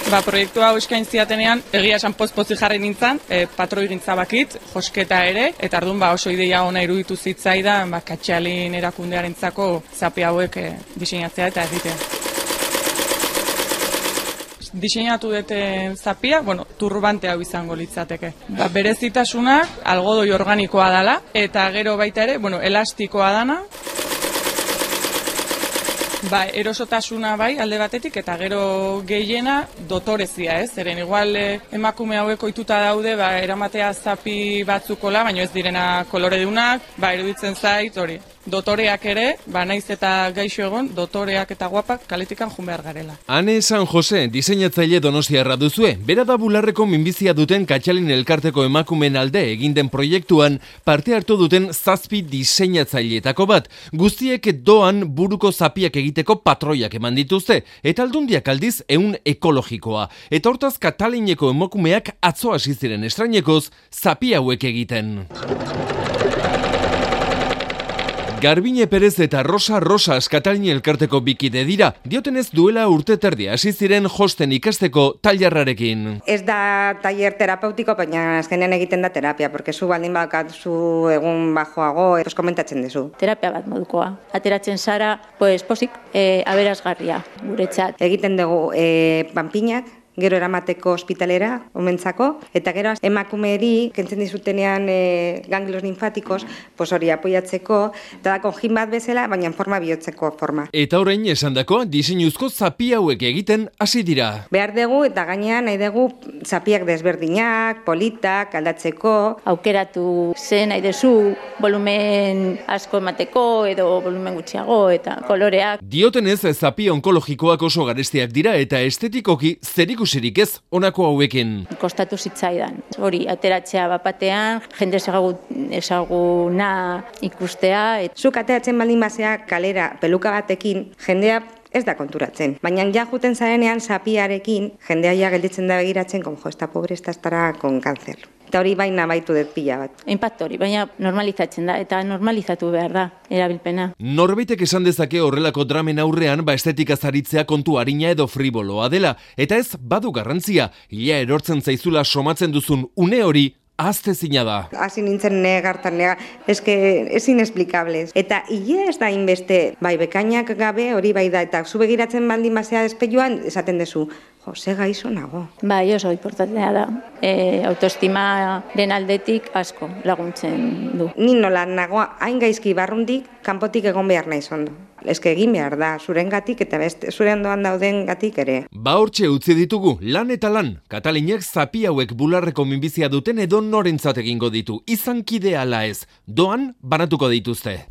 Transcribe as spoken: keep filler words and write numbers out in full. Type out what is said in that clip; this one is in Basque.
Ba, proiektu hau eskain ziatenean, egia esan poz-pozi jarri nintzen, e, patroi gintza bakit, josketa ere, eta ardun ba, oso ideia ona iruditu zitzaidan, ba, Katxalin erakundearentzako zapi hauek e, diseinatzea eta egitea. Diseinatu dute zapia, bueno, turbante hau izango litzateke. Ba, berezitasunak algodoi organikoa dela, eta gero baita ere, bueno, elastikoa dana, ba, erosotasuna bai alde batetik eta gero gehiena dotorezia, ez? Zeren igual eh, emakume hauek ohituta daude, ba, eramatea zapi batzukola, baina ez direna koloredunak, ba, iruditzen zait hori. Dotoreak ere, ba, naiz eta gaixo egon, dotoreak eta guapak kaletikan jun behar garela. Ane San Jose, diseinatzaile donostiarra duzue, bera da bularreko minbizia duten Katxalin elkarteko emakumeen alde egin den proiektuan parte hartu duten zazpi diseinatzaileetako bat. Guztiek doan buruko zapiak egiteko patroiak eman dituzte, eta aldundiak aldiz ehun ekologikoa. Eta hortaz Katalineko emakumeak atzo hasi ziren estrainekoz zapi hauek egiten. Garbine Perez eta Rosa Rosas Katalin elkarteko bikide dira, diotenez duela urte terdia hasi ziren josten ikasteko tailerrarekin. Ez da tailer terapeutiko, baina azkenean egiten da terapia, porque zu baldin badaukazu egun bajoago, pues komentatzen duzu. Terapia bat modukoa. Ateratzen zara, pues posik, e, aberasgarria guretzat. Egiten dugu e, panpinak, gero eramateko ospitalera, omentzako, eta gero emakumeeri, kentzen dizutenean e, ganglios linfatikos, pues hori apoiatzeko, eta da konjin bat bezala, baina forma bihotzeko forma. Eta orain esandako diseinuzko zapi hauek egiten hasi dira. Behar dugu, eta gainean nahi dugu zapiak desberdinak, politak, aldatzeko. Aukeratu zen nahi dezu, volumen asko emateko, edo volumen gutxiago, eta koloreak. Diotenez, zapi onkologikoak oso garestiak dira, eta estetikoki zeriku Zirik ez, honako hauekin. Kostatu zitzaidan. Hori, ateratzea bapatean, jende ezaguna ikustea. Et... Zuk ateratzen baldin bazea kalera peluka batekin, jendea ez da konturatzen. Baina ja juten zarenean zapiarekin, jendea ja gelditzen da begiratzen, como jo, esta pobre esta estará con cáncer. Eta hori baina baitu dut pila bat. Inpaktu hori, baina normalizatzen da, eta normalizatu behar da, erabilpena. Norbaitek esan dezake horrelako dramen aurrean, ba estetika zaritzea kontu arina edo friboloa dela, eta ez badu garrantzia, ia erortzen zaizula somatzen duzun une hori, aztezina da. Hasi nintzen negartan negar, eske ez inexplicables. Eta hile ez da inbeste, bai bekainak gabe hori bai da, eta zu begiratzen baldin bazea espejuan, esaten dezu, jo, ze gaizo nago. Bai, oso importantea da. E, autoestimaren aldetik asko laguntzen du. Ni nola nagoa hain gaizki barrundik, kanpotik egon behar naiz ondo. Eske egin behar da, zurengatik eta beste zure ondoan dauden gatik ere. Ba hortxe utzi ditugu, lan eta lan. Katalinek zapi hauek bularreko minbizia duten edo norentzat egingo ditu, izan kide ala ez. Doan banatuko dituzte.